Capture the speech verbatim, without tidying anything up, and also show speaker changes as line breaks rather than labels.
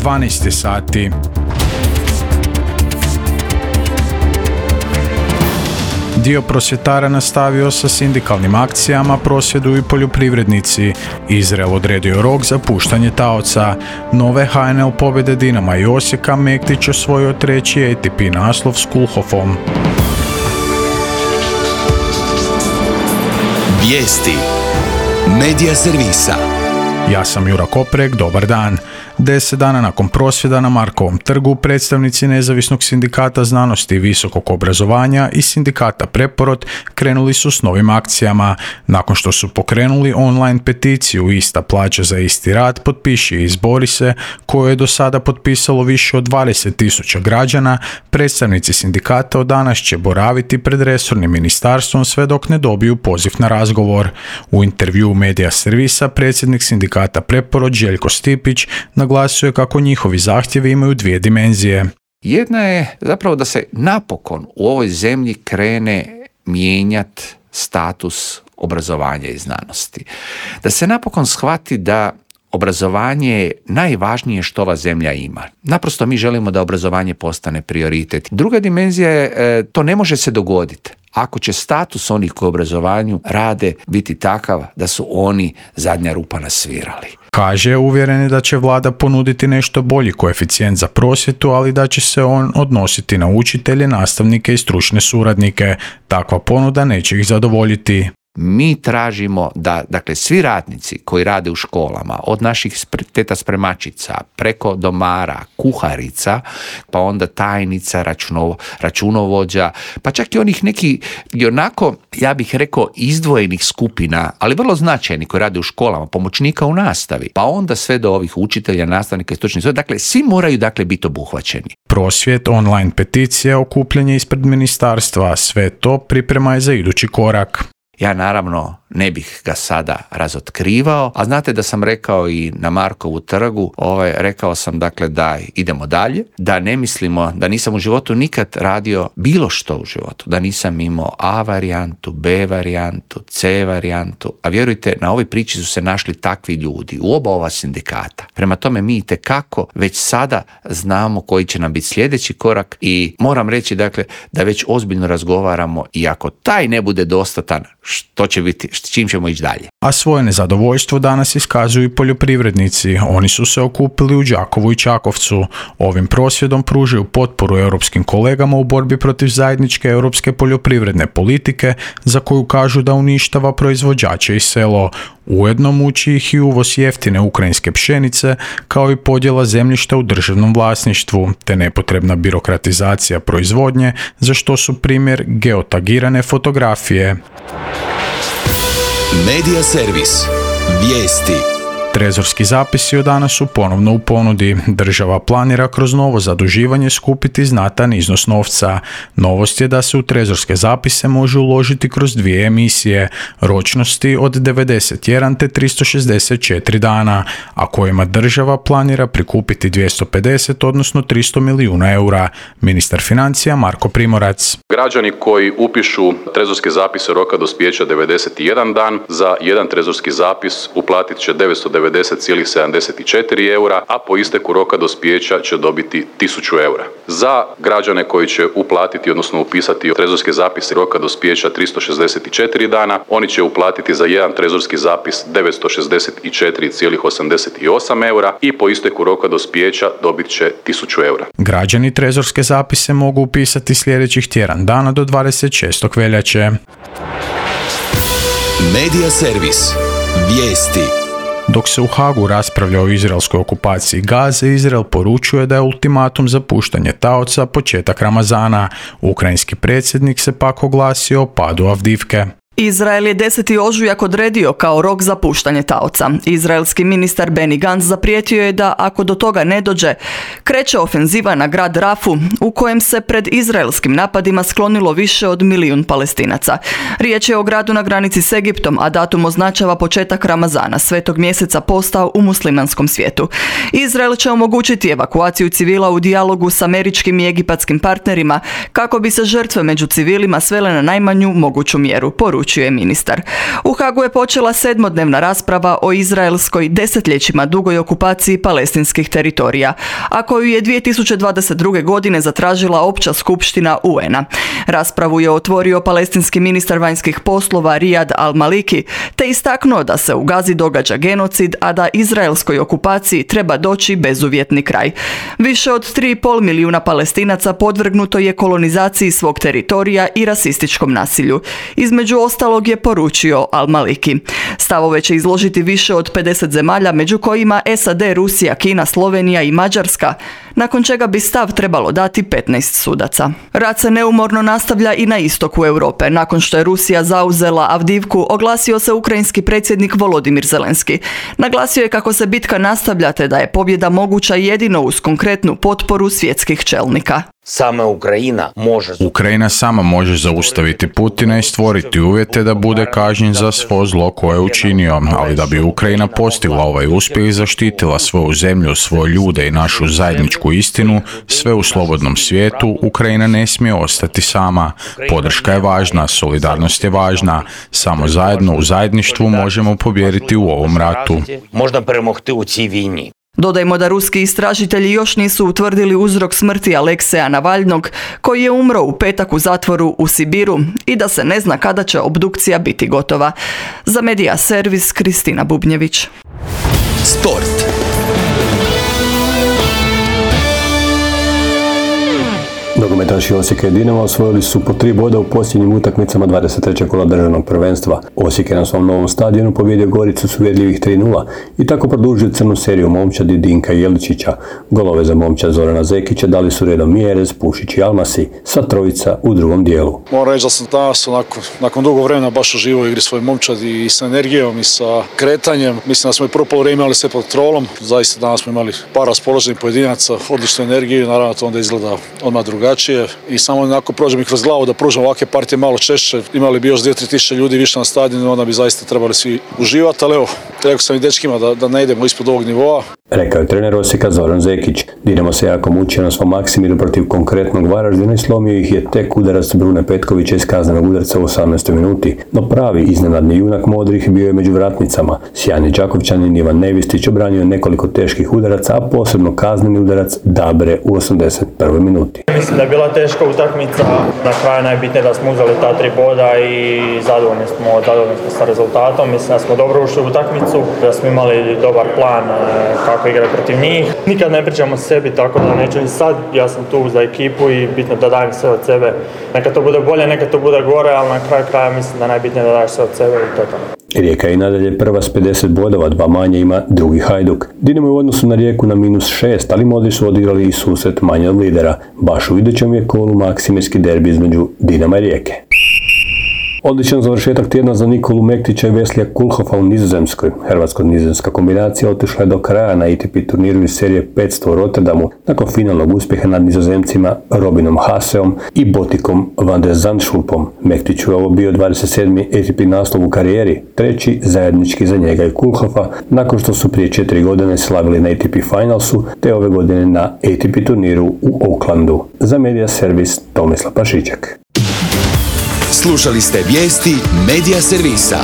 dvanaest sati. Dio prosvjetara nastavio sa sindikalnim akcijama, prosvjeduju i poljoprivrednici. Izrael odredio rok za puštanje taoca. Nove H N L pobjede Dinama i Osijeka, Mektić osvojio treći A T P naslov s Kulhofom.
Vijesti Medija servisa.
Ja sam Jura Koprek, dobar dan. Deset dana nakon prosvjeda na Markovom trgu, predstavnici Nezavisnog sindikata znanosti i visokog obrazovanja i sindikata Preporod krenuli su s novim akcijama. Nakon što su pokrenuli online peticiju Ista plaća za isti rad, potpiši i izbori se, koju je do sada potpisalo više od dvadeset tisuća građana, predstavnici sindikata od danas će boraviti pred resornim ministarstvom sve dok ne dobiju poziv na razgovor. U intervjuu Medija servisa predsjednik sindikata Preporod Željko Stipić naglasio je kako njihovi zahtjevi imaju dvije dimenzije.
Jedna je zapravo da se napokon u ovoj zemlji krene mijenjati status obrazovanja i znanosti. Da se napokon shvati da obrazovanje je najvažnije što ova zemlja ima. Naprosto mi želimo da obrazovanje postane prioritet. Druga dimenzija je, to ne može se dogoditi ako će status onih koji u obrazovanju rade biti takav da su oni zadnja rupa na svirali.
Kaže, uvjeren je da će vlada ponuditi nešto bolji koeficijent za prosvjetu, ali da će se on odnositi na učitelje, nastavnike i stručne suradnike. Takva ponuda neće ih zadovoljiti.
Mi tražimo da, dakle, svi radnici koji rade u školama, od naših teta spremačica, preko domara, kuharica, pa onda tajnica, računovo, računovođa, pa čak i onih neki, i onako, ja bih rekao, izdvojenih skupina, ali vrlo značajni koji rade u školama, pomoćnika u nastavi, pa onda sve do ovih učitelja, nastavnika i stručnih suradnika, dakle, svi moraju, dakle, biti obuhvaćeni.
Prosvjet, online peticija, okupljanje ispred ministarstva, sve to priprema je za idući korak.
Ja naravno ne bih ga sada razotkrivao, a znate da sam rekao i na Markovu trgu, ovaj, rekao sam dakle da idemo dalje, da ne mislimo, da nisam u životu nikad radio bilo što u životu, da nisam imao A varijantu, B varijantu, C varijantu, a vjerujte, na ovoj priči su se našli takvi ljudi u oba ova sindikata. Prema tome mi itekako već sada znamo koji će nam biti sljedeći korak i moram reći dakle da već ozbiljno razgovaramo i ako taj ne bude dostatan, što će biti, s čim ćemo ići dalje.
A svoje nezadovoljstvo danas iskazuju i poljoprivrednici. Oni su se okupili u Đakovu i Čakovcu. Ovim prosvjedom pružaju potporu europskim kolegama u borbi protiv zajedničke europske poljoprivredne politike, za koju kažu da uništava proizvođače i selo. Ujedno muči ih i uvoz jeftine ukrajinske pšenice, kao i podjela zemljišta u državnom vlasništvu, te nepotrebna birokratizacija proizvodnje, za što su primjer geotagirane fotografije.
Medija servis. Vijesti.
Trezorski zapisi od danas su ponovno u ponudi. Država planira kroz novo zaduživanje skupiti znatan iznos novca. Novost je da se u trezorske zapise može uložiti kroz dvije emisije, ročnosti od devedeset jedan te tristo šezdeset četiri dana, a kojima država planira prikupiti dvjesto pedeset odnosno tristo milijuna eura. Ministar financija Marko Primorac.
Građani koji upišu trezorske zapise roka dospijeća devedeset jedan dan, za jedan trezorski zapis uplatit će devetsto devedeset zarez sedamdeset četiri eura, a po isteku roka dospijeća će dobiti tisuću eura. Za građane koji će uplatiti, odnosno upisati trezorske zapise roka dospijeća tristo šezdeset četiri dana, oni će uplatiti za jedan trezorski zapis devetsto šezdeset četiri zarez osamdeset osam eura i po isteku roka dospijeća dobit će tisuću eura.
Građani trezorske zapise mogu upisati sljedećih tjedan dana do dvadeset šestog veljače.
Medija servis. Vijesti.
Dok se u Hagu raspravlja o izraelskoj okupaciji Gaze, Izrael poručuje da je ultimatum za puštanje taoca početak Ramazana. Ukrajinski predsjednik se pak oglasio o padu Avdivke.
Izrael je deseti ožujak odredio kao rok za puštanje taoca. Izraelski ministar Benny Gantz zaprijetio je da ako do toga ne dođe, kreće ofenziva na grad Rafu, u kojem se pred izraelskim napadima sklonilo više od milijun Palestinaca. Riječ je o gradu na granici s Egiptom, a datum označava početak Ramazana, svetog mjeseca posta u muslimanskom svijetu. Izrael će omogućiti evakuaciju civila u dijalogu s američkim i egipatskim partnerima, kako bi se žrtve među civilima svele na najmanju moguću mjeru, poručio poručuje ministar. U Hagu je počela sedmodnevna rasprava o izraelskoj desetljećima dugoj okupaciji palestinskih teritorija, a koju je dvije tisuće dvadeset druge. godine zatražila Opća skupština U N-a. Raspravu je otvorio palestinski ministar vanjskih poslova Riyad al-Maliki, te istaknuo da se u Gazi događa genocid, a da izraelskoj okupaciji treba doći bezuvjetni kraj. Više od tri i pol milijuna Palestinaca podvrgnuto je kolonizaciji svog teritorija i rasističkom nasilju. Između ostalog je poručio al-Maliki. Stavove će izložiti više od pedeset zemalja, među kojima S A D, Rusija, Kina, Slovenija i Mađarska, nakon čega bi stav trebalo dati petnaest sudaca. Rat se neumorno nastavlja i na istoku Europe. Nakon što je Rusija zauzela Avdivku, oglasio se ukrajinski predsjednik Volodimir Zelenski. Naglasio je kako se bitka nastavlja te da je pobjeda moguća jedino uz konkretnu potporu svjetskih čelnika.
Sama Ukrajina može...
Ukrajina sama može zaustaviti Putina i stvoriti uvjete da bude kažnjen za svo zlo koje je učinio, ali da bi Ukrajina postigla ovaj uspjeh i zaštitila svoju zemlju, svoje ljude i našu zajedničku istinu, sve u slobodnom svijetu, Ukrajina ne smije ostati sama. Podrška je važna, solidarnost je važna, samo zajedno u zajedništvu možemo pobijediti u ovom ratu.
Možda premohti u cій vійні.
Dodajmo da ruski istražitelji još nisu utvrdili uzrok smrti Alekseja Navalnog, koji je umro u petak u zatvoru u Sibiru, i da se ne zna kada će obdukcija biti gotova. Za Media Servis, Kristina Bubnjević.
Sport.
Nogometaši Osijeka i Dinama osvojili su po tri boda u posljednjim utakmicama dvadeset trećeg kola državnog prvenstva. Osijek je na svom novom stadionu pobijedio Goricu s uvjerljivih tri nula i tako produžio crnu seriju momčadi Dinka Jeličića. Golove za momčad Zorana Zekića dali su redom Mjerez, Pušić i Almasi, sva trojica u drugom dijelu.
Moram reći da sam danas onako, nakon dugo vremena baš uživao u igri svoj momčad i sa energijom i sa kretanjem. Mislim da smo i prvo poluvreme imali sve pod kontrolom. Zaista danas smo imali par raspoloženih pojedinaca, odličnu energiju i naravno to onda izgleda odmah drugačije. I samo onako prođe mi kroz glavu da pružam ovakve partije malo češće. Imali bi još dvije do tri tisuće ljudi više na stadionu, onda bi zaista trebali svi uživati, ali evo, rekao sam i dečkima da, da ne idemo ispod ovog nivoa.
Rekao je trener Osijeka Zoran Zekić. Dinamo se jako mučio na svom Maksimiru protiv konkretnog Varaždina i slomio ih je tek udarac Brune Petkovića iz kaznenog udarca u osamnaestoj minuti. No pravi iznenadni junak modrih bio je među vratnicama. Sjajni Đakovčanin Ivan Nevistić obranio nekoliko teških udaraca, a posebno kazneni udarac Dabre u osamdeset prvoj minuti.
Mislim da je bila teška utakmica. Na kraju najbitnije da smo uzeli ta tri boda i zadovoljni smo, zadovoljni smo sa rezultatom. Mislim da smo dobro ušli u utakmicu, da smo imali dobar plan kako igrati protiv njih. Nikad ne pričamo o sebi, tako da neću ni sad. Ja sam tu za ekipu i bitno da dajem sve od sebe. Neka to bude bolje, neka to bude gore, ali na kraju kraja mislim da najbitnije da daješ sve od sebe i to je to.
Rijeka je i nadalje prva s pedeset bodova, dva manje ima drugi Hajduk. Dinamo je u odnosu na Rijeku na minus šest, ali modri su odigrali i susret manje od lidera. Baš u idućem je kolu maksimirski derbi između Dinama i Rijeke. Odličan završetak tjedna za Nikolu Mektića i Veslija Kulhofa u Nizozemskoj. Hrvatsko-nizozemska kombinacija otišla je do kraja na A T P turniru iz serije petsto u Rotterdamu nakon finalnog uspjeha nad Nizozemcima Robinom Haseom i Botikom van der Zandschulpom. Mektiću je ovo bio dvadeset sedmi A T P naslov u karijeri, treći zajednički za njega i Kulhofa, nakon što su prije četiri godine slavili na A T P Finalsu te ove godine na A T P turniru u Aucklandu. Za Media Servis Tomislav Pašiček.
Slušali ste vijesti Media Servisa.